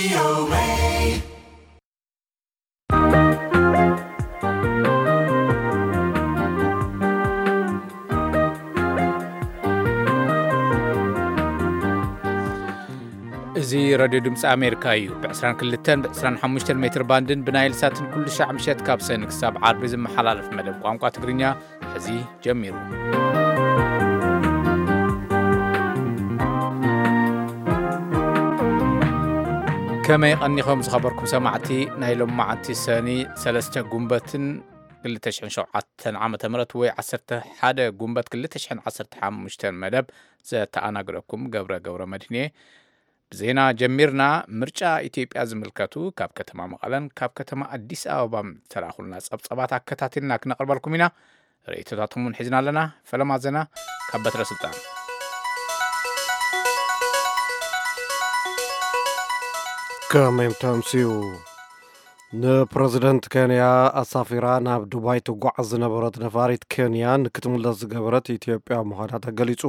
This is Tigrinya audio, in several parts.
እዚ ሬድዮ ድምፂ ኣሜሪካ እዩ። ብ22 ብ25 ሜትር ባንድን ብናይል ሳትን ኩሉ ሻዕ ምሸት ካብ ሰኒ ክሳብ ዓርቢ ዝመሓላለፍ መደብ ቋንቋ ትግርኛ ሕዚ ጀሚሩ። ከመይ ቀኒኹም ዝኸበርኩም ሰማዕቲ? ናይ ሎማዓንቲ ሰኒ ሰለስተ ጉንበትን 2007 ዓመተ ምህረት ወይ 11 ጉንበት 2015 መደብ ዘተኣናግደኩም ገብረ ገብረ መድህን እየ። ብዜና ጀሚርና። ምርጫ ኢትዮጵያ ዝምልከቱ ካብ ከተማ መቐለን ካብ ከተማ ኣዲስ ኣበባን ዝተላኹልና ጸብጸባት ኣከታቲልና ክነቕርበልኩም ኢና። ርእይቶታትኩም እውን ሒዝና ኣለና። ፈለማ ዜና ካብ በትረ ስልጣን። ከመይ ተምስዩ? ንፕረዚደንት ኬንያ ኣሳፊራ ናብ ዱባይ ትጓዓዝ ዝነበረት ነፋሪት ኬንያ ንክትምለስ ዝገበረት ኢትዮጵያ ምዃና ተገሊጹ።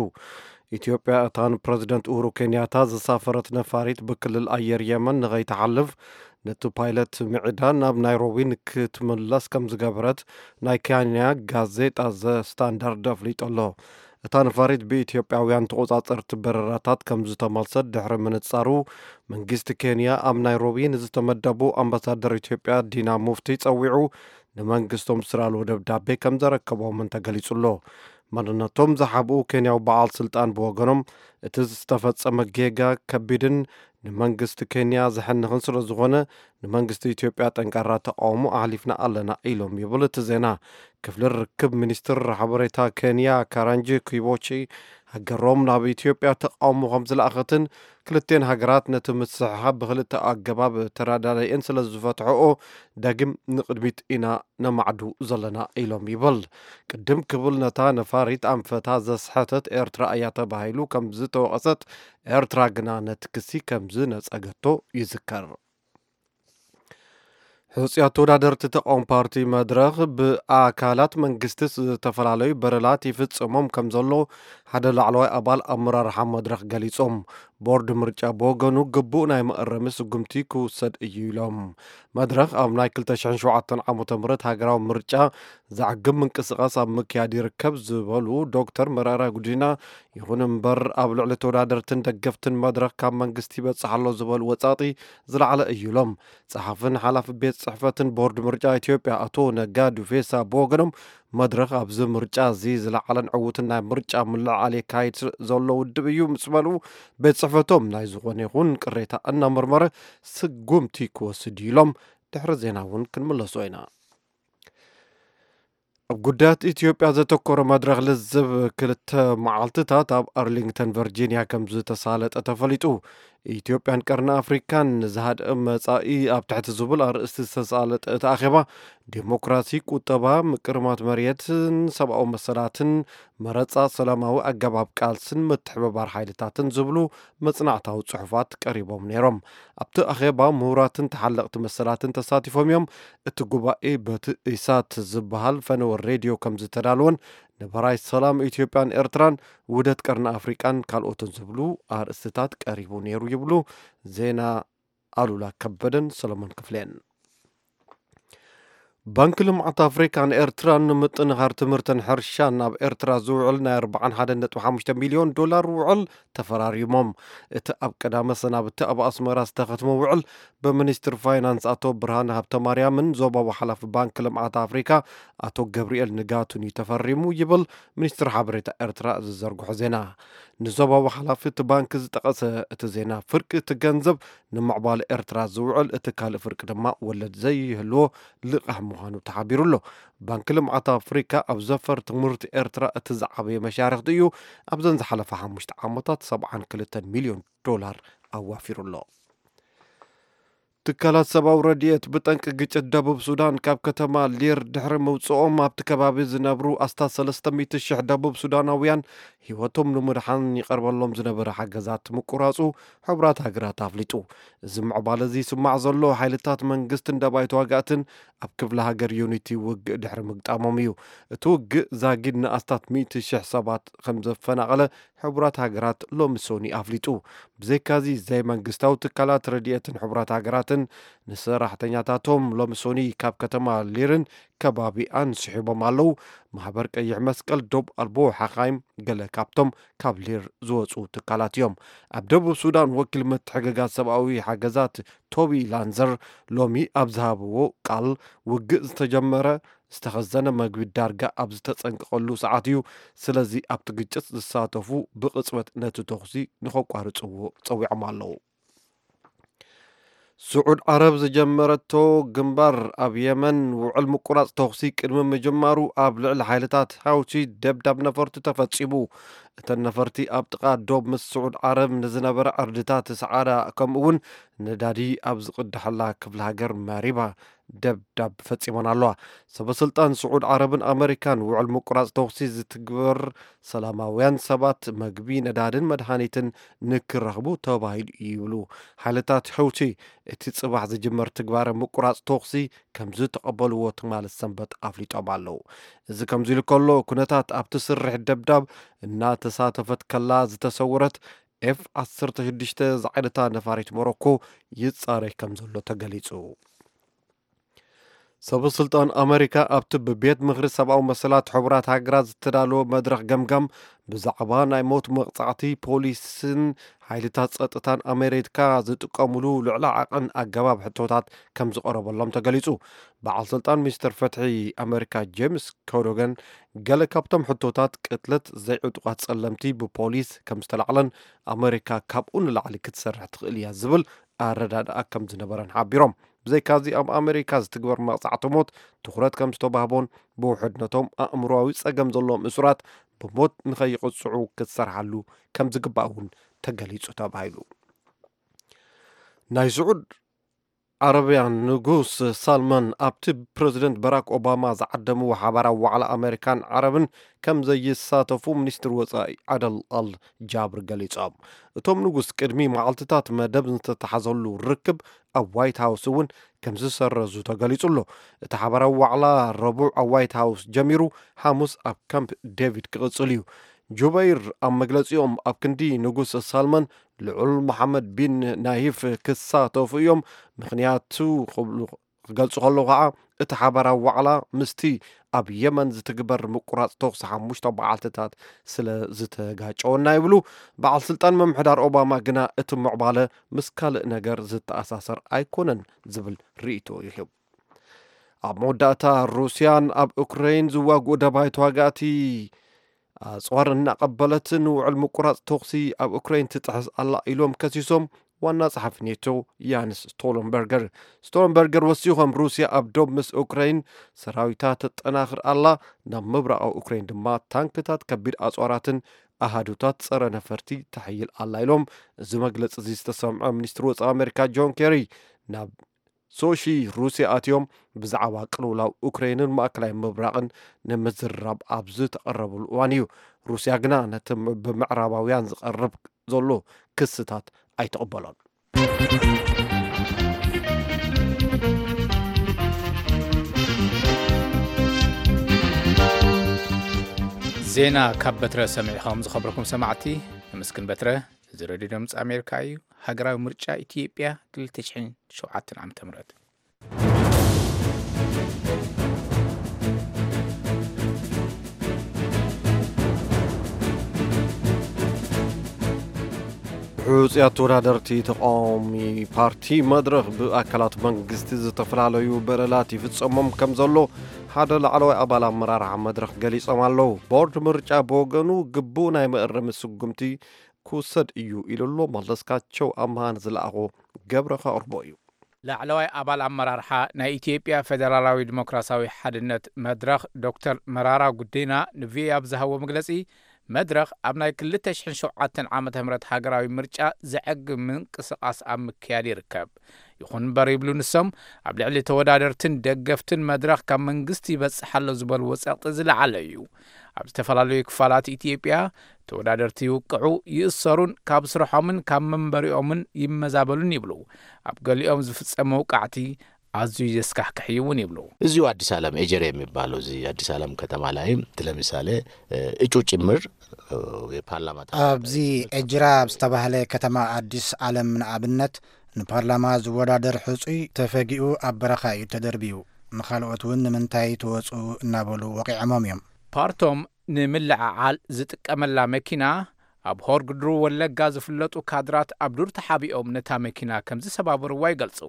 ኢትዮጵያ እታ ንፕረዚደንት ኡሁሩ ኬንያታ ዘሳፈረት ነፋሪት ብክልል ኣየር የመን ንኸይትሓልፍ ነቲ ፓይለት ምዒዳ ናብ ናይሮቢ ንክትምለስ ከም ዝገበረት ናይ ኬንያ ጋዜጣ ዘ ስታንዳርድ ኣፍሊጡ ኣሎ። እታ ነፋሪት ብኢትዮጵያውያን ተቖጻጸርቲ በረራታት ከም ዝተመልሰት ድሕሪ ምንጻሩ፣ መንግስቲ ኬንያ ኣብ ናይሮቢ ንዝተመደቡ ኣምባሳደር ኢትዮጵያ ዲና ሙፍቲ ጸዊዑ ንመንግስቶም ዝስራልዎ ደብዳቤ ከም ዘረከቦምን ተገሊጹ ኣሎ። መንነቶም ዝሓብኡ ኬንያዊ በዓል ስልጣን ብወገኖም፣ እቲ ዝተፈጸመ ጌጋ ከቢድን ንመንግስቲ ኬንያ ዘሕንኽን ስለ ዝኾነ፣ ንመንግስቲ ኢትዮጵያ ጠንካራ ተቃውሞ ኣሕሊፍና ኣለና ኢሎም ይብል እቲ ዜና። ክፍሊ ርክብ ሚኒስትር ሓበሬታ ኬንያ ካራንጂ ኪቦቺ ሃገሮም ናብ ኢትዮጵያ ተቃውሞ ከም ዝለኣኸትን ክልቴን ሃገራት ነቲ ምስሕሓብ ብክልተ ኣገባብ ተረዳዳኢን ስለ ዝፈትሕኦ ዳግም ንቅድሚት ኢና ነማዕዱ ዘለና ኢሎም ይብል። ቅድም ክብል ነታ ነፋሪት ኣንፈታ ዘስሐተት ኤርትራ እያ ተባሂሉ ከም ዝተወቐሰት ኤርትራ ግና ነቲ ክሲ ከም ዝነጸገቶ ይዝከር። ሕጹያት ተወዳደርቲ ተቃውሞ ፓርቲ መድረኽ ብኣካላት መንግስቲ ዝተፈላለዩ በደላት ይፍጽሞም ከም ዘሎ ሓደ ላዕለዋይ ኣባል ኣመራርሓ መድረኽ ገሊጾም። ቦርድ ምርጫ ብወገኑ ግቡእ ናይ መእረሚ ስጉምቲ ክውሰድ እዩ ኢሎም። መድረኽ ኣብ ናይ 2007 ዓመተ ምህረት ሃገራዊ ምርጫ ዘዕግብ ምንቅስቃስ ኣብ ምክያድ ይርከብ ዝበሉ ዶክተር መረራ ጉዲና፣ ይኹን እምበር ኣብ ልዕሊ ተወዳደርትን ደገፍትን መድረኽ ካብ መንግስቲ ይበጽሕ ኣሎ ዝበሉ ወጻጢ ዝለዓለ እዩ ኢሎም። ጸሓፍን ሓላፊ ቤት ጽሕፈትን ቦርድ ምርጫ ኢትዮጵያ ኣቶ ነጋ ዱፌሳ ብወገኖም፣ መድረኽ ኣብዚ ምርጫ እዚ ዝለዓለን ዕዉትን ናይ ምርጫ ምልዕዓል የካይድ ዘሎ ውድብ እዩ ምስ በሉ፣ ቤት ጽሕፈቶም ናይ ዝኾነ ይኹን ቅሬታ እናመርመረ ስጉምቲ ክወስድ እዩ ኢሎም። ድሕሪ ዜና እውን ክንምለሶ ኢና። ኣብ ጉዳያት ኢትዮጵያ ዘተኮረ መድረኽ ልዝብ ክልተ መዓልትታት ኣብ ኣርሊንግተን ቨርጂኒያ ከም ዝተሳለጠ ተፈሊጡ። ኢትዮጵያን ቀርኒ ኣፍሪካን ንዝሃድእ መጻኢ ኣብ ትሕቲ ዝብል ኣርእስቲ ዝተሳለጠ እቲ ኣኼባ፣ ዴሞክራሲ፣ ቁጠባ፣ ምቅርማት መሬትን ሰብኣዊ መሰላትን፣ መረጻ፣ ሰላማዊ ኣገባብ ቃልስን ምትሕብባር ሓይልታትን ዝብሉ መጽናዕታዊ ጽሑፋት ቀሪቦም ነይሮም። ኣብቲ ኣኼባ ምሁራትን ተሓለቕቲ መሰላትን ተሳቲፎም እዮም። እቲ ጉባኤ በቲ ኢሳት ዝበሃል ፈነወ ሬድዮ ከም ዝተዳለወን ንበራይ ሰላም ኢትዮጵያን ኤርትራን ውህደት ቀርኒ ኣፍሪቃን ካልኦትን ዝብሉ ኣርእስትታት ቀሪቡ ነይሩ ይብሉ ዜና ኣሉላ ከበደን ሰሎሞን ክፍሌን። ባንክ ልምዓት ኣፍሪካ ንኤርትራ ንምጥንኻር ትምህርትን ሕርሻን ናብ ኤርትራ ዝውዕል ናይ 41.5 ሚልዮን ዶላር ውዕል ተፈራሪሞም። እቲ ኣብ ቀዳመ ሰናብቲ ኣብ ኣስመራ ዝተኸትመ ውዕል ብሚኒስትር ፋይናንስ ኣቶ ብርሃነ ሃብተማርያምን ዞባዊ ሓላፊ ባንክ ልምዓት ኣፍሪካ ኣቶ ገብርኤል ንጋቱን እዩ ተፈሪሙ ይብል ሚኒስትር ሓበሬታ ኤርትራ ዝዘርግሖ ዜና። ንዞባዊ ሓላፊ እቲ ባንክ ዝጠቐሰ እቲ ዜና፣ ፍርቂ እቲ ገንዘብ ንምዕባለ ኤርትራ ዝውዕል፣ እቲ ካልእ ፍርቂ ድማ ወለድ ዘይህልዎ ልቓሕ ምዃኑ ተሓቢሩ ኣሎ። ባንክ ልምዓት ኣፍሪካ ኣብ ዘፈር ትምህርቲ ኤርትራ እቲ ዝዓበየ መሻርክቲ እዩ። ኣብዘን ዝሓለፈ ሓሙሽተ ዓመታት 72 ሚልዮን ዶላር ኣዋፊሩ ኣሎ። ትካላት ሰብኣዊ ረድኤት ብጠንቂ ግጭት ደቡብ ሱዳን ካብ ከተማ ሊር ድሕሪ ምውፅኦም ኣብቲ ከባቢ ዝነብሩ ኣስታት ሰለስተ ሚእቲ ሽሕ ደቡብ ሱዳናውያን ህይወቶም ንምድሓን ይቐርበሎም ዝነበረ ሓገዛት ምቁራፁ ሕቡራት ሃገራት ኣፍሊጡ። እዚ ምዕባለ እዚ ይስማዕ ዘሎ ሓይልታት መንግስትን ደባይ ተዋጋእትን ኣብ ክፍለ ሃገር ዩኒቲ ውግእ ድሕሪ ምግጣሞም እዩ። እቲ ውግእ ዛጊድ ንኣስታት ሚእቲ ሽሕ ሰባት ከም ዘፈናቐለ ሕቡራት ሃገራት ሎሚ ሶኒ ኣፍሊጡ። ብዘይካዚ ዘይመንግስታዊ ትካላት ረድኤትን ሕቡራት ሃገራትን ንሰራሕተኛታቶም ሎሚ ሶኒ ካብ ከተማ ሊርን ከባቢኣን ስሒቦም ኣለዉ። ማሕበር ቀይሕ መስቀል ዶብ ኣልቦ ሓኻይም ገለ ካብቶም ካብ ሊር ዝወፁ ትካላት እዮም። ኣብ ደቡብ ሱዳን ወኪል ምትሕግጋዝ ሰብኣዊ ሓገዛት ቶቢ ላንዘር ሎሚ ኣብ ዝሃብዎ ቃል ውግእ ዝተጀመረ ዝተኸዘነ መግቢ ዳርጋ ኣብ ዝተጸንቀቐሉ ሰዓት እዩ። ስለዚ ኣብቲ ግጭት ዝሳተፉ ብቕጽበት ነቲ ተኹሲ ንኸቋርጽዎ ጸዊዖም ኣለዉ። ስዑድ ዓረብ ዝጀመረቶ ግንባር ኣብ የመን ውዕል ምቁራጽ ተኹሲ ቅድሚ ምጅማሩ ኣብ ልዕሊ ሓይልታት ሃውቲ ደብዳብ ነፈርቲ ተፈጺሙ። እተን ነፈርቲ ኣብ ጥቓ ዶብ ምስ ስዑድ ዓረብ ንዝነበረ ዕርድታት ሰዓዳ ከምኡ እውን ነዳዲ ኣብ ዝቕድሐላ ክፍለ ሃገር መሪባ ደብዳብ ፈጺመን ኣለዋ። ሰበስልጣን ስዑድ ዓረብን ኣመሪካን ውዕል ምቁራጽ ተኹሲ ዝትግበር ሰላማውያን ሰባት መግቢ፣ ነዳድን መድሃኒትን ንክረኽቡ ተባሂሉ እዩ ይብሉ። ሓይልታት ሕውቲ እቲ ጽባሕ ዝጅመር ትግባረ ምቁራጽ ተኹሲ ከም ዝተቐበልዎ ትማሊ ሰንበት ኣፍሊጦም ኣለዉ። እዚ ከምዚ ኢሉ ከሎ፣ ኩነታት ኣብቲ ስርሒት ደብዳብ እናተሳተፈት ከላ ዝተሰወረት ኤፍ ዓሰርተ ሽዱሽተ ዝዓይነታ ነፋሪት ሞሮኮ ይጻረይ ከም ዘሎ ተገሊጹ። ሰበስልጣን ኣመሪካ ኣብቲ ብቤት ምኽሪ ሰብኣዊ መሰላት ሕቡራት ሃገራት ዝተዳለወ መድረኽ ገምጋም ብዛዕባ ናይ ሞት መቕጻዕቲ ፖሊስን ሓይልታት ጸጥታን ኣመሪካ ዝጥቀሙሉ ልዕሊ ዓቐን ኣገባብ ሕቶታት ከም ዝቐረበሎም ተገሊጹ። በዓል ስልጣን ሚኒስትር ፍትሒ ኣመሪካ ጄምስ ኮዶገን ገለ ካብቶም ሕቶታት ቅትለት ዘይዕጡቓት ጸለምቲ ብፖሊስ ከም ዝተላዕለን ኣመሪካ ካብኡ ንላዕሊ ክትሰርሕ ትኽእል እያ ዝብል ኣረዳድኣ ከም ዝነበረን ሓቢሮም። ብዘይካዚ ኣብ ኣመሪካ ዝትግበር መቕጻዕቲ ሞት ትኹረት ከም ዝተባህቦን ብውሕድነቶም ኣእምሮዊ ጸገም ዘለዎም እሱራት ብሞት ንኸይቕጽዑ ክትሰርሓሉ ከም ዝግባእ እውን ተገሊጹ ተባሂሉ። ናይ ስዑድ ዓረብያን ንጉስ ሳልማን ኣብቲ ፕረዚደንት በራክ ኦባማ ዝዓደምዎ ሓባራዊ ዋዕላ ኣመሪካን ዓረብን ከም ዘይሳተፉ ሚኒስትሪ ወጻኢ ዓደል ኣል ጃብር ገሊጾም። እቶም ንጉስ ቅድሚ መዓልትታት መደብ ዝተተሓዘሉ ርክብ ኣብ ዋይት ሃውስ እውን ከም ዝሰረዙ ተገሊጹ ኣሎ። እቲ ሓባራዊ ዋዕላ ረቡዕ ኣብ ዋይት ሃውስ ጀሚሩ፣ ሓሙስ ኣብ ካምፕ ዴቪድ ክቕጽል እዩ። ጁበይር ኣብ መግለጺኦም፣ ኣብ ክንዲ ንጉስ ሳልማን ልዑል መሓመድ ቢን ናይፍ ክሳተፉ እዮም። ምኽንያቱ ክብሉ ክገልጹ ከለዉ ከዓ፣ እቲ ሓባራዊ ዋዕላ ምስቲ ኣብ የመን ዝትግበር ምቁራጽ ተኹሲ ሓሙሽተ መዓልትታት ስለ ዝተጋጨወና ይብሉ። በዓል ስልጣን ምምሕዳር ኦባማ ግና እቲ ምዕባለ ምስ ካልእ ነገር ዝተኣሳሰር ኣይኮነን ዝብል ርእይቶ ይህብ። ኣብ መወዳእታ፣ ሩስያን ኣብ ኡክረይን ዝዋግኡ ደባይ ተዋጋእቲ ኣጽዋር እናቐበለት ንውዕል ምቁራጽ ተኹሲ ኣብ ኡክረይን ትጥሕስ ኣላ ኢሎም ከሲሶም ዋና ጸሓፊ ኔቶ ያንስ ስቶለንበርገር። ስቶለንበርገር ወሲኾም፣ ሩስያ ኣብ ዶብ ምስ ኡክረይን ሰራዊታ ተጠናኽር ኣላ፣ ናብ ምብራቓዊ ኡክረይን ድማ ታንክታት፣ ከቢድ ኣጽዋራትን ኣሃዱታት ጸረ ነፈርቲ ተሕይል ኣላ ኢሎም። እዚ መግለጺ እዚ ዝተሰምዐ ሚኒስትሪ ወጻኢ ኣሜሪካ ጆን ኬሪ ናብ ሶሺ ሩስያ ኣትዮም ብዛዕባ ቅልውላው ኡክረይንን ማእከላይ ምብራቕን ንምዝርራብ ኣብ ዝተቐረብሉ እዋን እዩ። ሩስያ ግና ነቲ ም-፣ ብምዕራባውያን ዝቐርብ ዘሎ ክስታት ኣይትቕበሎን። ዜና ካብ በትረ ሰሚዕኹም ዝኸበርኩም ሰማዕቲ፣ ንምስክን በትረ። እዚ ሬድዮ ድምፂ ኣሜሪካ እዩ። ሃገራዊ ምርጫ ኢትዮጵያ ክልተ ሽሕን ሸውዓተን ዓመተ ምህረት። ሕጹያት ተወዳደርቲ ተቃዋሚ ፓርቲ መድረኽ ብኣካላት መንግስቲ ዝተፈላለዩ በደላት ይፍጸሞም ከም ዘሎ ሓደ ላዕለዋይ ኣባል ኣመራርሓ መድረኽ ገሊጾም ኣለዉ። ቦርድ ምርጫ ብወገኑ ግቡእ ናይ መእረሚ ስጉምቲ ክውሰድ እዩ ኢሉ ኣሎ። መለስካቸው ኣምሃ ንዝለኣኾ ገብረ ከቕርቦ እዩ። ላዕለዋይ ኣባል ኣመራርሓ ናይ ኢትዮጵያ ፌደራላዊ ዲሞክራሲያዊ ሓድነት መድረኽ ዶክተር መራራ ጉዲና ንቪኦኤ ኣብ ዝሃቦ መግለጺ፣ መድረኽ ኣብ ናይ ክልተ ሽሕን ሸውዓተን ዓመተ ምህረት ሃገራዊ ምርጫ ዘዕግብ ምንቅስቓስ ኣብ ምክያድ ይርከብ። ይኹን እምበር ይብሉ ንሶም፣ ኣብ ልዕሊ ተወዳደርትን ደገፍትን መድረኽ ካብ መንግስቲ ይበጽሕ ኣሎ ዝበልዎ ጸቕጢ ዝለዓለ እዩ። ኣብ ዝተፈላለዩ ክፋላት ኢትዮጵያ ተወዳደርቲ ይውቅዑ፣ ይእሰሩን ካብ ስርሖምን ካብ መንበሪኦምን ይመዛበሉን ይብሉ። ኣብ ገሊኦም ዝፍጸም መውቃዕቲ ኣዝዩ ዘስካሕክሕ እዩ እውን ይብሉ። እዚሁ አዲስ ዓለም ኤጀሬ የሚባለው እዚህ አዲስ ዓለም ከተማ ላይም ለምሳሌ እጩ ጭምር የፓርላማ ኣብዚ ኤጅራ ኣብ ዝተባህለ ከተማ ኣዲስ ዓለም ንኣብነት ንፓርላማ ዝወዳደር ሕጹይ ተፈጊኡ ኣብ በረኻ እዩ ተደርብዩ። ንኻልኦት እውን ንምንታይ ትወጹ እናበሉ ወቒዖሞም እዮም። ፓርቶም ንምልዕዓል ዝጥቀመላ መኪና ኣብ ሆርግድሩ ወለጋ ዝፍለጡ ካድራት ኣብ ዱር ተሓቢኦም ነታ መኪና ከም ዝሰባበርዋ ይገልጹ።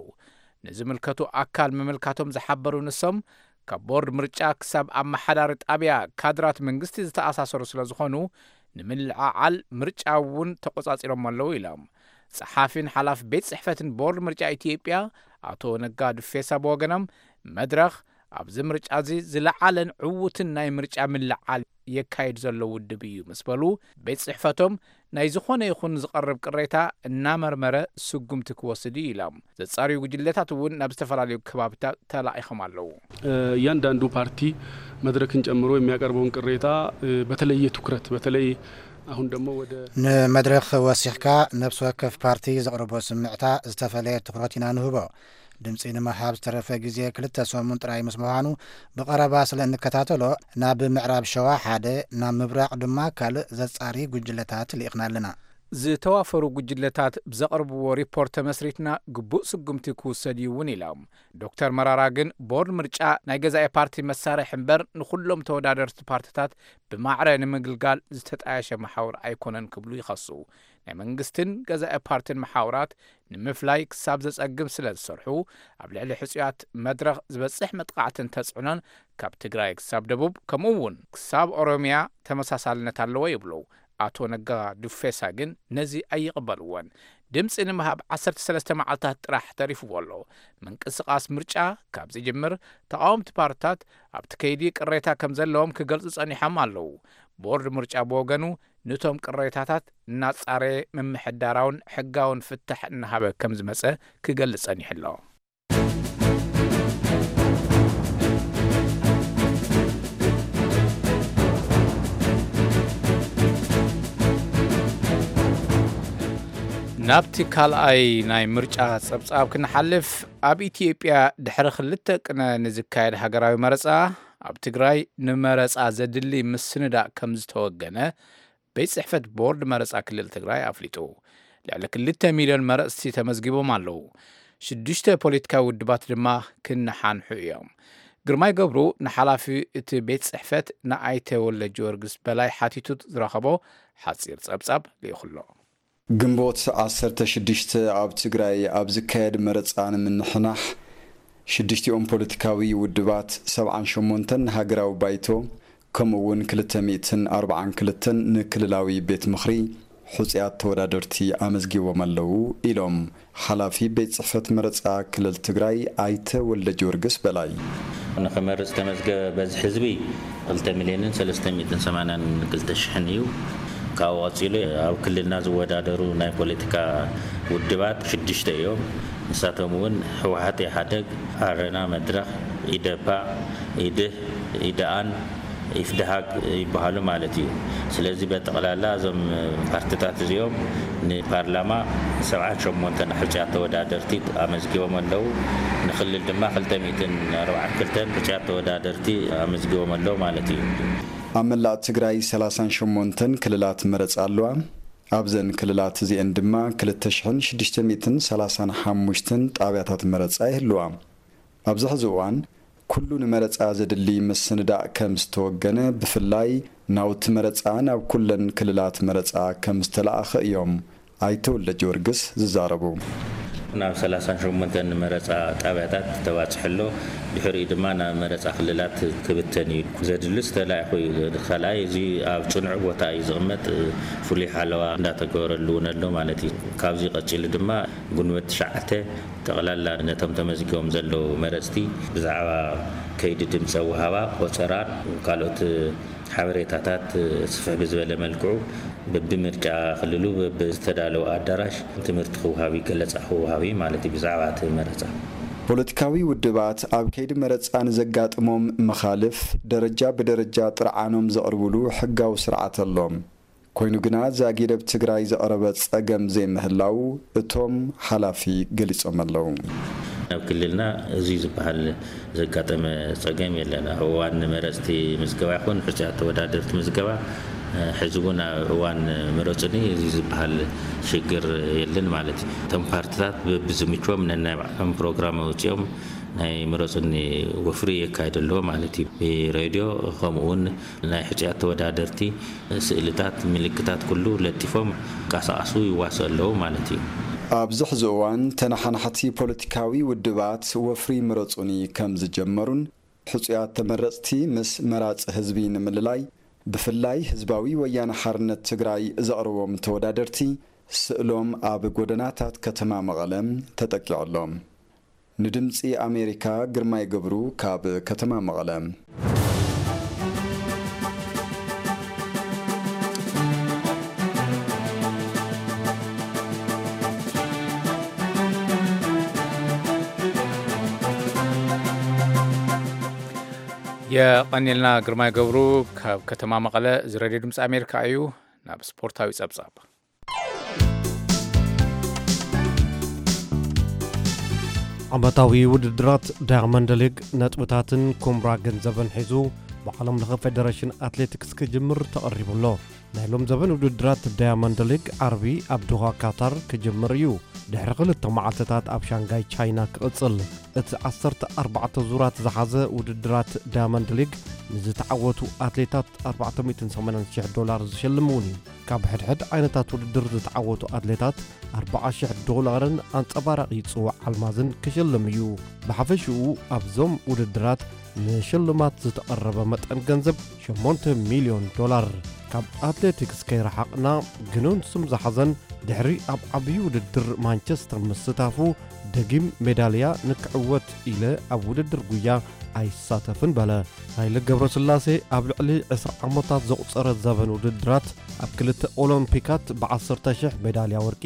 ንዝምልከቱ ኣካል ምምልካቶም ዝሓበሩ ንሶም፣ ካብ ቦርድ ምርጫ ክሳብ ኣመሓዳሪ ጣብያ ካድራት መንግስቲ ዝተኣሳሰሩ ስለ ዝኾኑ፣ ንምልዕዓል ምርጫ እውን ተቆጻጺሮም ኣለዉ ኢሎም። ጸሓፊን ሓላፊ ቤት ጽሕፈትን ቦርድ ምርጫ ኢትዮጵያ ኣቶ ነጋ ዱፌሳ ብወገኖም፣ መድረኽ ኣብዚ ምርጫ እዚ ዝለዓለን ዕዉትን ናይ ምርጫ ምልዓል የካይድ ዘሎ ውድብ እዩ ምስ በሉ፣ ቤት ጽሕፈቶም ናይ ዝኾነ ይኹን ዝቐርብ ቅሬታ እናመርመረ ስጉምቲ ክወስድ እዩ ኢሎም። ዘጻርዩ ጉጅለታት እውን ናብ ዝተፈላለዩ ከባብታት ተላኢኾም ኣለዉ። እያንዳንዱ ፓርቲ መድረክን ጨምሮ የሚያቀርበውን ቅሬታ በተለየ ትኩረት በተለይ አሁን ደግሞ ወደ ንመድረኽ ወሲኽካ ነፍሲ ወከፍ ፓርቲ ዘቕርቦ ስምዕታ ዝተፈለየ ትኹረት ኢና ንህቦ። ድምፂ ንምሃብ ዝተረፈ ግዜ ክልተ ሰሙን ጥራይ ምስ ምዃኑ ብቐረባ ስለ እንከታተሎ ናብ ምዕራብ ሸዋ ሓደ ናብ ምብራቕ ድማ ካልእ ዘፃሪ ጉጅለታት ልኢኽና ኣለና። ዝተዋፈሩ ጉጅለታት ብዘቕርብዎ ሪፖርት ተመስሪትና ግቡእ ስጉምቲ ክውሰድ እዩ እውን ኢሎም። ዶክተር መራራ ግን ቦርድ ምርጫ ናይ ገዛኢ ፓርቲ መሳርሒ እምበር ንኹሎም ተወዳደርቲ ፓርትታት ብማዕረ ንምግልጋል ዝተጣየሸ መሓውር ኣይኮነን ክብሉ ይኸሱ። ናይ መንግስትን ገዛኢ ፓርትን መሓውራት ንምፍላይ ክሳብ ዘጸግም ስለ ዝሰርሑ ኣብ ልዕሊ ሕጹያት መድረኽ ዝበጽሕ መጥቓዕትን ተጽዕኖን ካብ ትግራይ ክሳብ ደቡብ ከምኡ እውን ክሳብ ኦሮሚያ ተመሳሳልነት ኣለዎ ይብሉ። ኣቶ ነጋ ዱፌሳ ግን ነዚ ኣይቕበልዎን። ድምፂ ንምሃብ ዓሰርተ ሰለስተ መዓልታት ጥራሕ ተሪፍዎ ኣሎ። ምንቅስቓስ ምርጫ ካብ ዝጅምር ተቓወምቲ ፓርትታት ኣብቲ ከይዲ ቅሬታ ከም ዘለዎም ክገልጹ ጸኒሖም ኣለዉ። ቦርድ ምርጫ ብወገኑ ንቶም ቅሬታታት እናጻረየ ምምሕዳራውን ሕጋውን ፍታሕ እናሃበ ከም ዝመጸ ክገልጽ ጸኒሑ ኣሎ። ናብቲ ካልኣይ ናይ ምርጫ ጸብጻብ ክንሓልፍ፣ ኣብ ኢትዮጵያ ድሕሪ ክልተ ቅነ ንዝካየድ ሃገራዊ መረጻ፣ ኣብ ትግራይ ንመረጻ ዘድሊ ምስንዳእ ከም ዝተወገነ ቤት ጽሕፈት ቦርድ መረጻ ክልል ትግራይ ኣፍሊጡ። ልዕሊ ክልተ ሚልዮን መረጽቲ ተመዝጊቦም ኣለዉ። ሽዱሽተ ፖለቲካዊ ውድባት ድማ ክነሓንሑ እዮም። ግርማይ ገብሩ ንሓላፊ እቲ ቤት ጽሕፈት ንኣይተ ወልደጊዮርጊስ በላይ ሓቲቱ ዝረኸቦ ሓጺር ጸብጻብ ልኢኹ ኣሎ። ግንቦት ዓሰርተ ሽዱሽተ ኣብ ትግራይ ኣብ ዝካየድ መረጻ ንምንሕናሕ ሽዱሽቲኦም ፖለቲካዊ ውድባት ሰብዓን ሸሞንተን ንሃገራዊ ባይቶ ከምኡ እውን ክልተ ሚእትን ኣርብዓን ክልተን ንክልላዊ ቤት ምኽሪ ሕጹያት ተወዳደርቲ ኣመዝጊቦም ኣለዉ ኢሎም ሓላፊ ቤት ጽሕፈት መረጻ ክልል ትግራይ ኣይተ ወልደጊዮርጊስ በላይ። ንኽመርጽ ዝተመዝገበ በዝሒ ህዝቢ ክልተ ሚልዮንን ሰለስተ ሚእትን ሰማንያን ክልተ ሽሕን እዩ። ካብኡ ቀጺሉ ኣብ ክልልና ዝወዳደሩ ናይ ፖለቲካ ውድባት ሽዱሽተ እዮም። ንሳቶም እውን ህወሓት፣ ኢህኣደግ፣ ኣረና፣ መድረኽ፣ ኢዴፓ፣ ኢድህ፣ ኢደኣን ኢፍድሃግ ይበሃሉ ማለት እዩ። ስለዚ በጠቕላላ እዞም ፓርትታት እዚኦም ንፓርላማ ሰብዓን ሸሞንተን ሕጹያት ተወዳደርቲ ኣመዝጊቦም ኣለዉ። ንክልል ድማ ክልተ ሚእትን ኣርብዓን ክልተን ሕጹያት ተወዳደርቲ ኣመዝጊቦም ኣለዉ ማለት እዩ። ኣብ መላእ ትግራይ ሰላሳን ሸሞንተን ክልላት መረጻ ኣለዋ። ኣብዘን ክልላት እዚኤን ድማ ክልተ ሽሕን ሽዱሽተ ሚእትን ሰላሳን ሓሙሽተን ጣብያታት መረጻ ይህልዋ። ኣብዚ ሕዚ እዋን ኩሉ ንመረጻ ዘድሊ ምስንዳእ ከም ዝተወገነ፣ ብፍላይ ናውቲ መረጻ ናብ ኩለን ክልላት መረጻ ከም ዝተለኣኸ እዮም ኣይተ ወልደጊዮርጊስ ዝዛረቡ። ናብ ሰላሳን ሸሞንተን መረጻ ጣብያታት ተባጽሑ ኣሎ። ድሕሪኡ ድማ ናብ መረጻ ክልላት ክብተን እዩ። ዘድልስ ተላኢኹ እዩ። ካልኣይ እዚ ኣብ ጽኑዕ ቦታ እዩ ዝቕመጥ። ፍሉይ ሓለዋ እንዳተገበረሉ እውን ኣሎ ማለት እዩ። ካብዚ ቀጺሉ ድማ ጉንበት ትሽዓተ ጠቕላላ ነቶም ተመዝጊቦም ዘለዉ መረጽቲ ብዛዕባ ከይዲ ድምፀ ውሃባ፣ ቆጸራን ካልኦት ሓበሬታታት ስፍሕ ብዝበለ መልክዑ በብምርጫ ክልሉ በብዝተዳለወ ኣዳራሽ ትምህርቲ ክወሃብ እዩ፣ ገለጻ ክወሃብ እዩ ማለት እዩ ብዛዕባ እቲ መረጻ። ፖለቲካዊ ውድባት ኣብ ከይዲ መረጻ ንዘጋጥሞም መኻልፍ ደረጃ ብደረጃ ጥርዓኖም ዘቕርብሉ ሕጋዊ ስርዓት ኣሎ። ኮይኑ ግና ዛጊድ ኣብ ትግራይ ዘቕረበ ጸገም ዘይምህላው እቶም ሓላፊ ገሊጾም ኣለዉ። ኣብ ክልልና እዚ ዝበሃል ዘጋጠመ ጸገም የለን። ኣብ እዋን መረጽቲ ምዝገባ ይኹን ሕጹያት ተወዳደርቲ ምዝገባ፣ እ፣ ሕዚ እውን ኣብ እዋን መረጽኒ እዚ ዝበሃል ሽግር የለን ማለት እዩ። እቶም ፓርትታት በብዝምችዎም ነናይ ባዕሎም ፕሮግራም ኣውጺኦም ናይ መረጽኒ ወፍሪ የካይዱ ኣለዉ ማለት እዩ። ብሬድዮ ከምኡ እውን ናይ ሕጹያት ተወዳደርቲ ስእልታት፣ ምልክታት ኩሉ ለጢፎም ይንቀሳቐሱ ይዋስኡ ኣለዉ ማለት እዩ። ኣብዚ ሕዚ እዋን ተነሓናሕቲ ፖለቲካዊ ውድባት ወፍሪ ምረጹኒ ከም ዝጀመሩን ሕጹያት ተመረጽቲ ምስ መራጺ ህዝቢ ንምልላይ ብፍላይ ህዝባዊ ወያነ ሓርነት ትግራይ ዘቕርቦም ተወዳደርቲ ስእሎም ኣብ ጎደናታት ከተማ መቐለ ተጠቂዑ ኣሎ። ንድምጺ ኣሜሪካ ግርማይ ገብሩ ካብ ከተማ መቐለ። የቐኒልና ግርማይ ገብሩ ካብ ከተማ መቐለ። እዚ ሬድዮ ድምፂ ኣሜሪካ እዩ። ናብ ስፖርታዊ ጸብጻብ። ዓመታዊ ውድድራት ዳያመንድ ሊግ ነጥብታትን ኩምራ ገንዘብን ሒዙ ብዓለም ለኸ ፌደሬሽን ኣትሌቲክስ ክጅምር ተቐሪቡ ኣሎ። ናይ ሎም ዘበን ውድድራት ዳያመንድ ሊግ ዓርቢ ኣብ ዶሃ ካታር ክጅምር እዩ። ድሕሪ ክልተ መዓልትታት ኣብ ሻንጋይ ቻይና ክቕጽል። እቲ ዓሰርተ ኣርባዕተ ዙራት ዝሓዘ ውድድራት ዳያመንድ ሊግ ንዝተዓወቱ ኣትሌታት ኣርባዕተ ሚእትን ሰማንያን ሽሕ ዶላር ዝሸልም እውን እዩ። ካብ ሕድሕድ ዓይነታት ውድድር ዝተዓወቱ ኣትሌታት ኣርብዓ ሽሕ ዶላርን ኣንጸባራቒ ጽዋዕ ኣልማዝን ክሽልም እዩ። ብሓፈሽኡ ኣብዞም ውድድራት ንሽልማት ዝተቐረበ መጠን ገንዘብ ሸሞንተ ሚልዮን ዶላር። ካብ ኣትሌቲክስ ከይረሓቕና ግኑን ስም ዝሓዘን ድሕሪ ኣብ ዓብዪ ውድድር ማንቸስተር ምስታፉ ደጊም ሜዳልያ ንክዕወት ኢለ ኣብ ውድድር ጉያ ኣይሳተፍን በለ። ሃይለ ገብረስላሴ ኣብ ልዕሊ ዕስራ ዓመታት ዘቑጸረ ዘበን ውድድራት ኣብ ክልተ ኦሎምፒካት ብዓሰርተ ሽሕ ሜዳልያ ወርቂ፣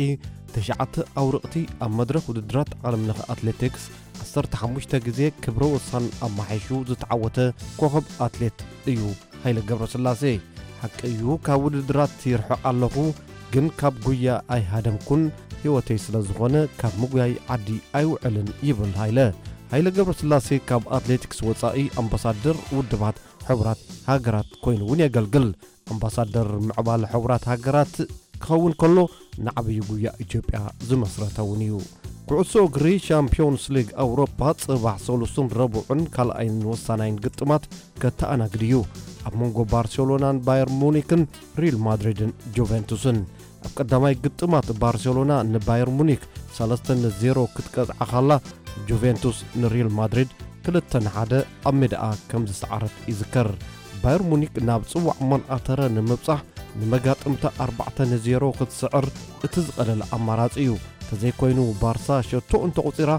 ትሽዓተ ኣውርቕቲ ኣብ መድረኽ ውድድራት ዓለምለኸ ኣትሌቲክስ፣ ዓሰርተ ሓሙሽተ ግዜ ክብረ ወሳን ኣማሒሹ ዝተዓወተ ኮኸብ ኣትሌት እዩ ሃይለ ገብረስላሴ። ሓቂ እዩ ካብ ውድድራት ይርሕቕ ኣለኹ፣ ግን ካብ ጉያ ኣይሃደምኩን፣ ህይወተይ ስለ ዝኾነ ካብ ምጉያይ ዓዲ ኣይውዕልን ይብል ሃይለ። ሃይለ ገብረስላሴ ካብ ኣትሌቲክስ ወጻኢ ኣምባሳደር ውድባት ሕቡራት ሃገራት ኮይኑ እውን የገልግል። ኣምባሳደር ምዕባለ ሕቡራት ሃገራት ክኸውን ከሎ ንዓብዪ ጉያ ኢትዮጵያ ዝመስረተ እውን እዩ። ኩዕሶ እግሪ ሻምፒዮንስ ሊግ ኣውሮፓ ጽባሕ ሰሉስን ረቡዕን ካልኣይን ወሳናይን ግጥማት ከተኣናግድ እዩ። ኣብ መንጎ ባርሴሎናን ባየር ሙኒክን ሪል ማድሪድን ጁቬንቱስን። ኣብ ቀዳማይ ግጥማት ባርሴሎና ንባየር ሙኒክ ሰለስተ ንዜሮ ክትቀጽዓ ኻላ፣ ጁቬንቱስ ንሪል ማድሪድ ክልተ ንሓደ ኣብ ሜዳኣ ከም ዝሰዓረት ይዝከር። ባየር ሙኒክ ናብ ጽዋዕ መን ኣተረ ንምብጻሕ ንመጋጥምታ ኣርባዕተ ንዜሮ ክትስዕር እቲ ዝቐለለ ኣማራጺ እዩ። ተዘይኮይኑ ባርሳ ሸቶ እንተቑጺራ፣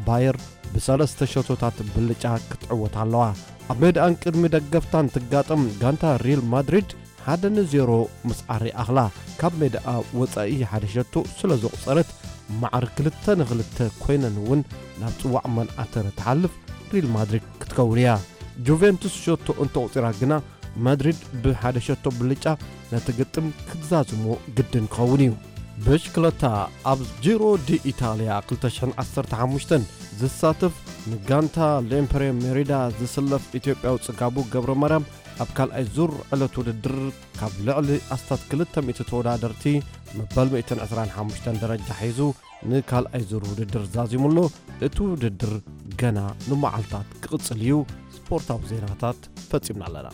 ባየር ብሰለስተ ሸቶታት ብልጫ ክትዕወት ኣለዋ። ኣብ ሜዳኣን ቅድሚ ደገፍታን ትጋጠም ጋንታ ሪል ማድሪድ ሓደ ንዜሮ ምስዓር ይኣኽላ። ካብ ሜዳኣ ወጻኢ ሓደ ሸቶ ስለ ዘቑጸረት፣ ማዕር ክልተ ንክልተ ኮይነን እውን ናብ ጽዋዕ መን ኣተረ ትሓልፍ ሪል ማድሪድ ክትከውን እያ። ጁቬንቱስ ሸቶ እንተቑጺራ ግና፣ ማድሪድ ብሓደ ሸቶ ብልጫ ነቲ ግጥም ክትዛዝሞ ግድን ክኸውን እዩ። ብሽክለታ። ኣብ ጂሮ ዲ ኢታልያ ክልተ ሽሕን ዓሰርተ ሓሙሽተን ዝሳተፍ ንጋንታ ሌምፕሬ ሜሪዳ ዝስለፍ ኢትዮጵያዊ ጽጋቡ ገብረ ማርያም ኣብ ካልኣይ ዙር ዕለት ውድድር ካብ ልዕሊ ኣስታት ክልተ ሚእቲ ተወዳደርቲ መበል ሚእትን ዕስራን ሓሙሽተን ደረጃ ሒዙ ንካልኣይ ዙር ውድድር ዛዚሙ ኣሎ። እቲ ውድድር ገና ንመዓልታት ክቕጽል እዩ። ስፖርታዊ ዜናታት ፈጺምና ኣለና።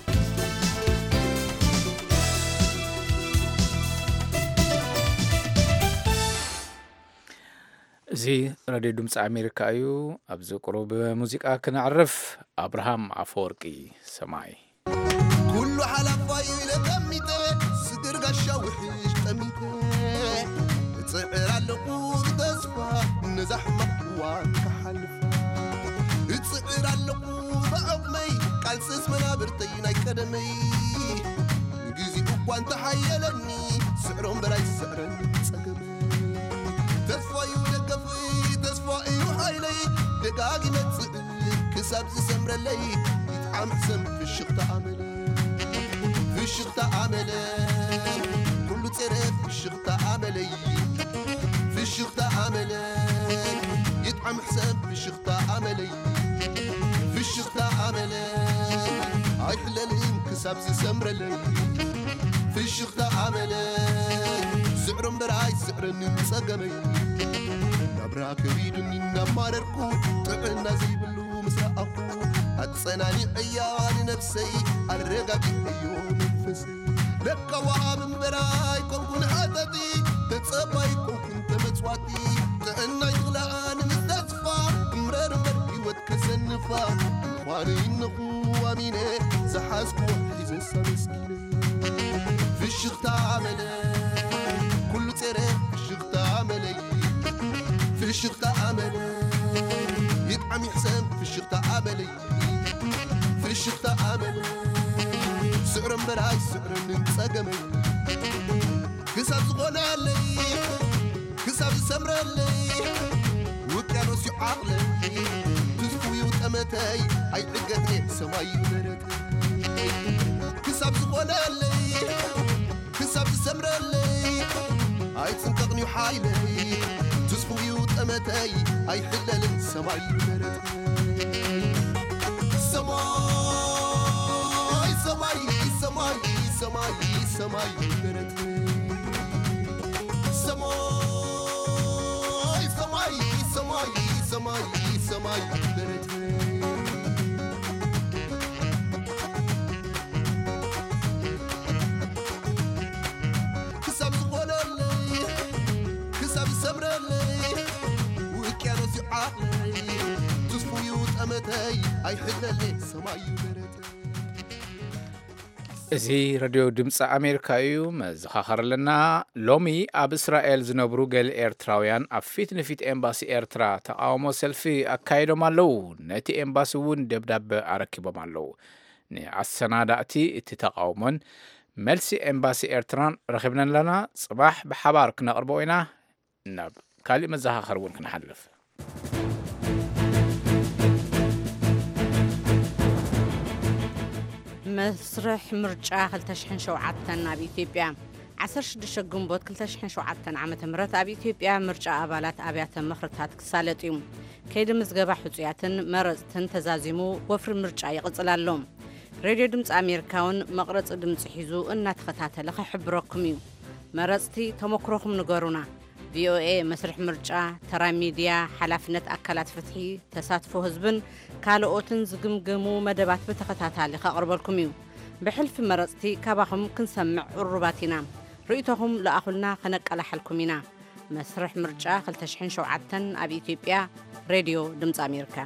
እዚ ሬድዮ ድምፂ ኣሜሪካ እዩ። ኣብዚ ቁሩብ ሙዚቃ ክነዕርፍ። ኣብርሃም ኣፈወርቂ፣ ሰማይ። ኩሉ ሓላፋይ ኢለ ጠሚተ፣ ስግር ጋሻ ውሕሽ ጠሚተ፣ እጽዕር ኣለኹ ብተስፋ ነዛ ሕማቕ እዋን ክሓልፋ። እጽዕር ኣለኹ ብዓቕመይ፣ ቃልስስ መናብርተይ ናይ ቀደመይ። እንተሓየለኒ ስዕሮ እምበር ኣይስዕረኒ ጸገመይ። ተስፋ እዩ ደገፈይ፣ ተስፋ እዩ ሓይለይ፣ ደጋጊመ ጽእ ክሳብ ዝሰምረለይ። ይጥዓም ሕሰም ፍሽኽታ ኣመለይ፣ ፍሽኽታ ኣመለይ፣ ኩሉ ጸረ ፍሽኽታ ኣመለይ፣ ፍሽኽታ ኣመለይ። ይጥዓም ሕሰም ፍሽኽታ ኣመለይ፣ ፍሽኽታ ኣመለይ፣ ኣይሕለልን ክሳብ ዝሰምረለይ። ፍሽኽታ ኣመለይ፣ ስዕሮ እምበር ኣይስዕረንን ጸገመይ። ናብራ ከቢዱኒ እናማረርኩ፣ ጥዕና ዘይብሉ ምስ ረኣኹ፣ ኣጸናኒዐያ ንነብሰይ፣ ኣረጋጊዐዮ መንፈሰይ። ለካ ወሃብ እምበር ኣይኮንኩን ሓተቲ፣ ተጸባይ ኣይኮንኩን ተመጽዋቲ። ጥዕናይ ዝኽልኣ ንምስተስፋ፣ እምረር እምበር ህይወት ከሰንፋ። ምዃኑ ይነኹ ኣሚነ፣ ዝሓዝኩዎ ሒዘሳ መስኪነ። ፍሽኽታ ኣመለይ፣ ኩሉ ጸረ ፍሽኽታ ኣመለይ። ፍሽኽታ ኣመለይ፣ ይጥዓም ይሕሰም ፍሽኽታ ኣመለይ። ፍሽኽታ ኣመለይ፣ ስዕሮ እምበር ኣይስዕረንን ጸገመይ። ክሳብ ዝኾነለይ፣ ክሳብ ዝሰምረለይ፣ ውቅያኖስ እዩ ዓቕለይ። ትዝፉ እዩ ጠመተይ፣ ኣይዕገትኔ ሰማይ እዩ ደረተይ። ክሳብ ዝኾነለይ፣ ክሳብ ዝሰምረለይ፣ ኣይጽንቀቕን እዩ ሓይለይ። ትዝፉ እዩ ጠመተይ፣ ኣይሕለልን ሰማይ እዩ ደረተይ። ሰማይ፣ ሰማይ፣ ሰማይ፣ ሰማይ፣ ሰማይ ደረተይ። ሰማይ፣ ሰማይ፣ ሰማይ፣ ሰማይ፣ ሰማይ ደረተይ። ክሳብ ዝኾነለይ፣ ክሳብ ዝሰምረለይ፣ ውቅያኖስ እዩ ዓቕለይ። ትስፉ እዩ ጠመተይ፣ ኣይሕለለይ፣ ሰማይ እዩ ደረተይ። እዚ ሬድዮ ድምፂ ኣሜሪካ እዩ። መዘኻኸር ኣለና። ሎሚ ኣብ እስራኤል ዝነብሩ ገለ ኤርትራውያን ኣብ ፊት ንፊት ኤምባሲ ኤርትራ ተቓውሞ ሰልፊ ኣካይዶም ኣለዉ። ነቲ ኤምባሲ እውን ደብዳበ ኣረኪቦም ኣለዉ። ንኣሰናዳእቲ እቲ ተቓውሞን መልሲ ኤምባሲ ኤርትራን ረኺብና ኣለና። ጽባሕ ብሓባር ክነቕርቦ ኢና። ናብ ካሊእ መዘኻኸሪ እውን ክንሓልፍ። መስርሕ ምርጫ ክልተ ሽሕን ሸውዓተን ኣብ ኢትዮጵያ። ዓሰርተ ሽዱሽተ ግንቦት ክልተ ሽሕን ሸውዓተን ዓመተ ምህረት ኣብ ኢትዮጵያ ምርጫ ኣባላት ኣብያተ ምኽርታት ክሳለጥ እዩ። ከይዲ ምዝገባ ሕጹያትን መረጽትን ተዛዚሙ ወፍሪ ምርጫ ይቕጽል ኣሎ። ሬድዮ ድምፂ ኣሜሪካ እውን መቕረፂ ድምፂ ሒዙ እናተኸታተለ ክሕብረኩም እዩ። መረፅቲ ተመክሮኹም ንገሩና። ቪኦኤ መስርሕ ምርጫ፣ ተራ ሚድያ፣ ሓላፍነት ኣካላት ፍትሒ፣ ተሳትፎ ህዝብን ካልኦትን ዝግምግሙ መደባት ብተኸታታሊ ከቕርበልኩም እዩ። ብሕልፊ መረፅቲ ካባኹም ክንሰምዕ ቅሩባት ኢና። ርእይቶኹም ለኣኹልና፣ ከነቀላሕልኩም ኢና። መስርሕ ምርጫ ክልተ ሽሕን ሸውዓተን ኣብ ኢትዮጵያ። ሬድዮ ድምፂ ኣሜሪካ።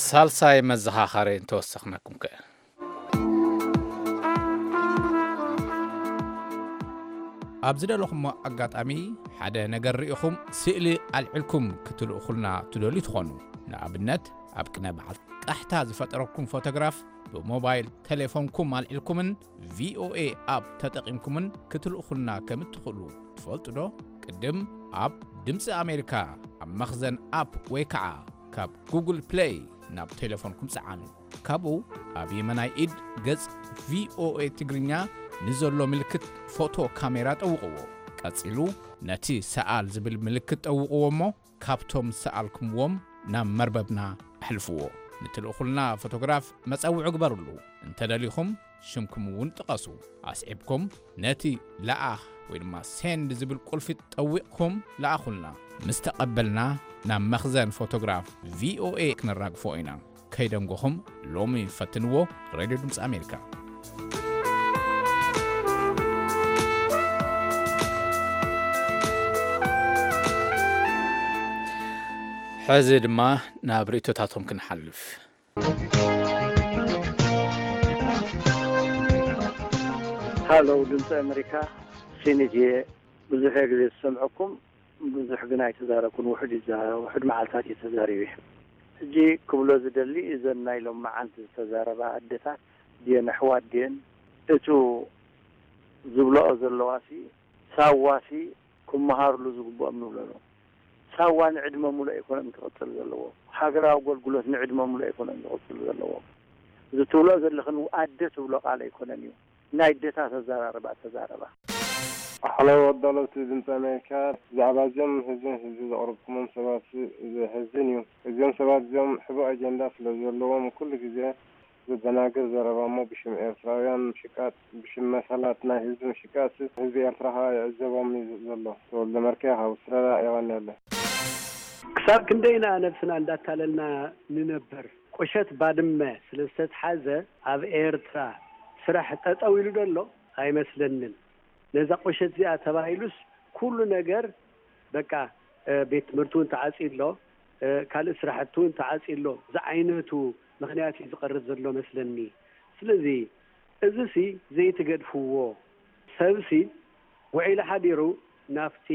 ሳልሳይ መዘኻኸሪ እንተወሰኽናኩም ከ? ኣብ ዝደለኹሞ ኣጋጣሚ ሓደ ነገር ርኢኹም ስእሊ ኣልዒልኩም ክትልእኹልና ትደልዩ ትኾኑ። ንኣብነት፣ ኣብ ቅነ በዓል ቃሕታ ዝፈጠረኩም ፎቶግራፍ ብሞባይል ቴሌፎንኩም ኣልዒልኩምን ቪኦኤ ኣፕ ተጠቒምኩምን ክትልእኹልና ከም እትኽእሉ ትፈልጡ ዶ? ቅድም ኣብ ድምፂ ኣሜሪካ ኣብ መኽዘን ኣፕ ወይ ከዓ ካብ ጉግል ፕሌይ ናብ ቴሌፎንኩም ፀዓኑ። ካብኡ ኣብ የመናይ ኢድ ገጽ ቪኦኤ ትግርኛ ንዘሎ ምልክት ፎቶ ካሜራ ጠውቕዎ። ቀጺሉ ነቲ ሰኣል ዝብል ምልክት ጠውቕዎ እሞ ካብቶም ዝሰኣልኩምዎም ናብ መርበብና ኣሕልፍዎ። ንትልእኹልና ፎቶግራፍ መጸውዒ ግበርሉ። እንተደሊኹም ሽምኩም እውን ጥቐሱ። ኣስዒብኩም ነቲ ለኣኽ ወይ ድማ ሴንድ ዝብል ቁልፊ ጠዊቕኩም ለኣኹልና። ምስ ተቐበልና ናብ መኽዘን ፎቶግራፍ ቪኦኤ ክነራግፎ ኢና። ከይደንጎኹም ሎሚ ፈትንዎ። ሬድዮ ድምፂ ኣሜሪካ። ሕዚ ድማ ናብ ርእይቶታቶም ክንሓልፍ። ሃሎ፣ ድምፂ ኣሜሪካ፣ ሴኔት እየ። ብዙሕ ግዜ ዝሰምዐኩም፣ ብዙሕ ግን ኣይተዛረብኩን። ውሑድ ይዛ-፣ ውሑድ መዓልታት እየ ተዛሪበ። ሕጂ ክብሎ ዝደሊ፣ እዘን ናይ ሎም መዓልቲ ዝተዛረባ ኣደታት ድየን ኣሕዋት ድየን? እቱ ዝብለኦ ዘለዋሲ፣ ሳዋሲ ክመሃርሉ ዝግብኦም ንብሎ ነው። ሳዋ ንዕድመ ሙሉእ ኣይኮነን ክቕጽል ዘለዎ። ሃገራዊ ኣገልግሎት ንዕድመ ሙሉእ ኣይኮነን ክቕጽል ዘለዎ። እዚ ትብሎ ዘለኽን ኣደ ትብሎ ቃል ኣይኮነን እዩ። ናይ ኣደታት ኣዘራርባ ተዛረባ። ሓለው ኣዳለውቲ ድምፂ ኣሜሪካ፣ ብዛዕባ እዚኦም ህዝቢ ንህዝቢ ዘቕረብኩሞም ሰባት ዘሕዝን እዩ። እዚኦም ሰባት እዚኦም ሕቡእ ኣጀንዳ ስለ ዘለዎም ኩሉ ግዜ ዘደናግር ዘረባ እሞ ብሽም ኤርትራውያን ምሽቃጥ፣ ብሽም መሰላት ናይ ህዝቢ ምሽቃጥ ህዝቢ ኤርትራ ከዓ ይዕዘቦም እዩ ዘሎ። ተወልደ መርኬ ካብ ኣውስትራልያ። የቐንየለይ። ክሳብ ክንደይና ነብስና እንዳታለልና ንነብር? ቁሸት ባድመ ስለ ዝተትሓዘ ኣብ ኤርትራ ስራሕ ጠጠው ኢሉ ዶ ኣሎ? ኣይመስለንን። ነዛ ቁሸት እዚኣ ተባሂሉስ ኩሉ ነገር በቃ፣ እ፣ ቤት ትምህርቲ እውን ተዓጽዩ ኣሎ፣ እ፣ ካልእ ስራሕቲ እውን ተዓጽዩ ኣሎ ዝዓይነቱ ምኽንያት እዩ ዝቐርብ ዘሎ መስለኒ። ስለዚ እዚሲ ዘይትገድፍዎ፣ ሰብሲ ውዒሉ ሓዲሩ ናብቲ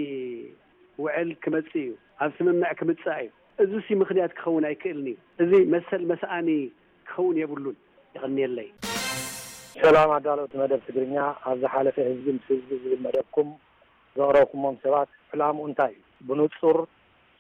ውዕል ክመጽእ እዩ፣ ኣብ ስምምዕ ክምጻእ እዩ። እዚሲ ምኽንያት ክኸውን ኣይክእልን እዩ። እዚ መሰል መስኣኒ ክኸውን የብሉን። የቐንየለይ። ሰላም ኣዳለውቲ መደብ ትግርኛ፣ ኣብ ዝሓለፈ ህዝቢ ምስ ህዝቢ ዝብል መደብኩም ዘቕረብኩሞም ሰባት ዕላምኡ እንታይ እዩ? ብንጹር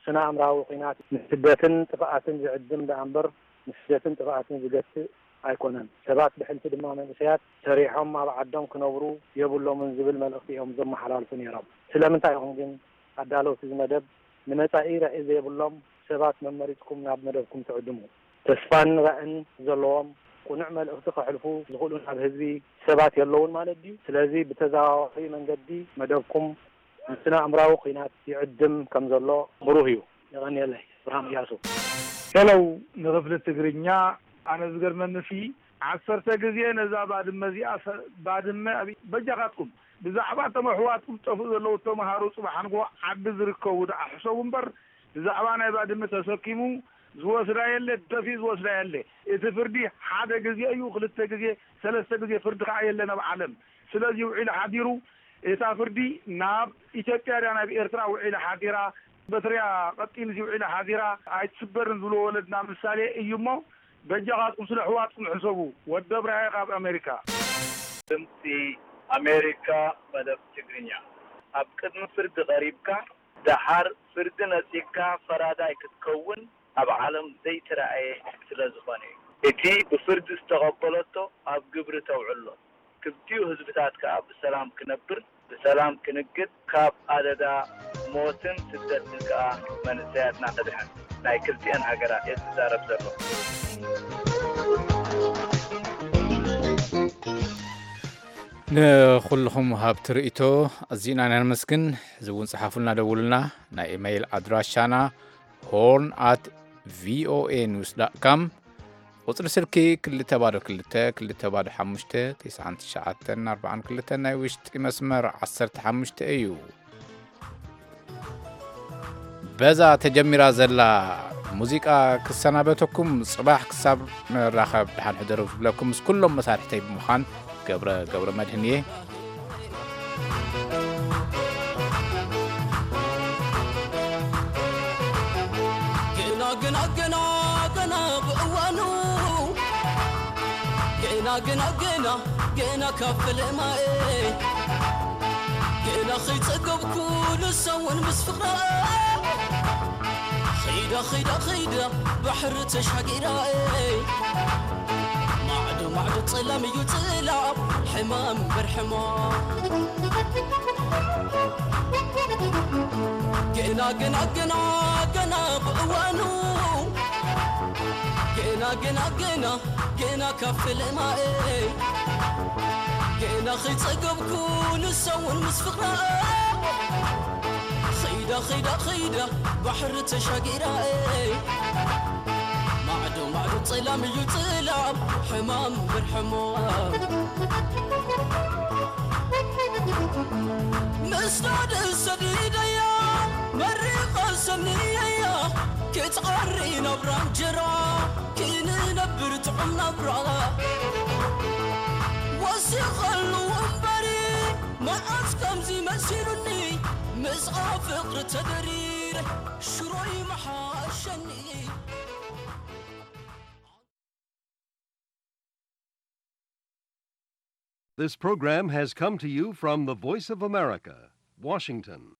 ስነ ኣእምራዊ ኲናት ንስደትን ጥፍኣትን ዝዕድም ደኣ እምበር ንስደትን ጥፍኣትን ዝገትእ ኣይኮነን። ሰባት ብሕልፊ ድማ መንእሰያት ሰሪሖም ኣብ ዓዶም ክነብሩ የብሎምን ዝብል መልእኽቲ እዮም ዘመሓላልፉ ነይሮም። ስለምንታይ ኢኹም ግን ኣዳለውቲ እዚ መደብ ንመጻኢ ራኢ ዘይብሎም ሰባት መመሪጽኩም ናብ መደብኩም ትዕድሙ? ተስፋን ራእን ዘለዎም ቅኑዕ መልእኽቲ ከሕልፉ ዝኽእሉ ናብ ህዝቢ ሰባት የለውን ማለት ድዩ? ስለዚ ብተዘዋዋሪ መንገዲ መደብኩም ንስነ ኣእምራዊ ኲናት ይዕድም ከም ዘሎ ብሩህ እዩ። የቐንየለይ። እብርሃም እያሱ። ሄለው ንክፍሊ ትግርኛ፣ ኣነ ዝገርመኒ ሲ ዓሰርተ ግዜ ነዛ ባድመ እዚኣ ሰ-፣ ባድመ ኣብ-፣ በጃኻትኩም ብዛዕባ እቶም ኣሕዋትኩም ዝጠፍኡ ዘለዉ ተምሃሮ ጽባሕ ንግሆ ዓዲ ዝርከቡ ደኣ ሕሰቡ እምበር ብዛዕባ ናይ ባድመ ተሰኪሙ ዝወስዳ የለ፣ ደፊኡ ዝወስዳ የለ። እቲ ፍርዲ ሓደ ግዜ እዩ፣ ክልተ ግዜ፣ ሰለስተ ግዜ ፍርዲ ከኣ የለን ኣብ ዓለም። ስለዚ ውዒሉ ሓዲሩ እታ ፍርዲ ናብ ኢትዮጵያ ድያ ናብ ኤርትራ ውዒላ ሓዲራ፣ በትሪያ ቀጢን እዚ ውዒላ ሓዲራ ኣይትስበርን ዝብሎ ወለድና ምሳሌ እዩ እሞ በጃኻትኩም ስለ ኣሕዋትኩም ሕሰቡ። ወዲ ኣብርሃየ ካብ ኣሜሪካ። ድምፂ ኣሜሪካ መደብ ትግርኛ። ኣብ ቅድሚ ፍርዲ ቀሪብካ ደሓር ፍርዲ ነፂግካ ፈራዳይ ክትከውን ኣብ ዓለም ዘይተራእየ ስለ ዝኾነ እዩ። እቲ ብፍርዲ ዝተቐበለቶ ኣብ ግብሪ ተውዕሎ። ክልቲኡ ህዝብታት ከኣ ብሰላም ክነብር፣ ብሰላም ክንግድ፣ ካብ ኣደዳ ሞትን ስደትን ከኣ መንእሰያትና ከድሕን ናይ ክልቲኤን ሃገራት እየ ዝዛረብ ዘለኹ። ንኹልኹም ሃብቲ ርእይቶ ኣዚና ኢና ነመስግን። እዚ እውን ጸሓፉልና፣ ደውሉልና። ናይ ኢመይል ኣድራሻና ሆርን ኣት ቪኦኤ ኒውስ ዳት ካም፣ ቁጽሪ ስልኪ ክልተ ባዶ ክልተ፣ ክልተ ባዶ ሓሙሽተ፣ ተስዓን ትሽዓተን ኣርባዓን ክልተን፣ ናይ ውሽጢ መስመር ዓሰርተ ሓሙሽተ እዩ። በዛ ተጀሚራ ዘላ ሙዚቃ ክሰናበተኩም፣ ጽባሕ ክሳብ ንራኸብ ደሓን ሕደሩ ዝብለኩም ምስ ኩሎም መሳርሕተይ ብምዃን ገብረ፣ ገብረ መድህን እየ። ገና፣ ገና፣ ገና፣ ገና ብእዋኑ፣ ገና፣ ገና፣ ገና፣ ገና ካብ ፈለማኤ፣ ገና ከይጸገብኩ ንሳ እውን ምስ ፍቕራ፣ ኺዳ፣ ኺዳ፣ ኺዳ ባሕሪ ተሻጊራ፣ ማዕዶ፣ ማዕዶ ጸላም እዩ ጸላም፣ ሕማም እምበር ሕማም። ገና፣ ገና፣ ገና፣ ገና ብእዋኑ፣ ገና፣ ገና፣ ገና፣ ገና ካብ ፈለማኤ፣ ገና ኸይጸገብኩ ንሳ እውን ምስ ፍቕራ፣ ኸይዳ፣ ኸይዳ፣ ኸይዳ ባሕሪ ተሻጊራ፣ ማዕዶ፣ ማዕዶ ጸላም እዩ ጸላም፣ ሕማም እምበር ሕማም። ምስዳድ ሰዲደያ፣ መሪቐ ሰንየያ፣ ክትዓሪ ናብራ እንጀራ፣ ክንነብር ጥዑም ናብራ። ወሲኸሉ እምበሪ፣ መዓስ ከምዚ መሲሉኒ፣ ምስኣ ፍቕሪ ተደሪረ፣ ሽሮይ መሓሸኒ። This program has come to you from the Voice of America, Washington.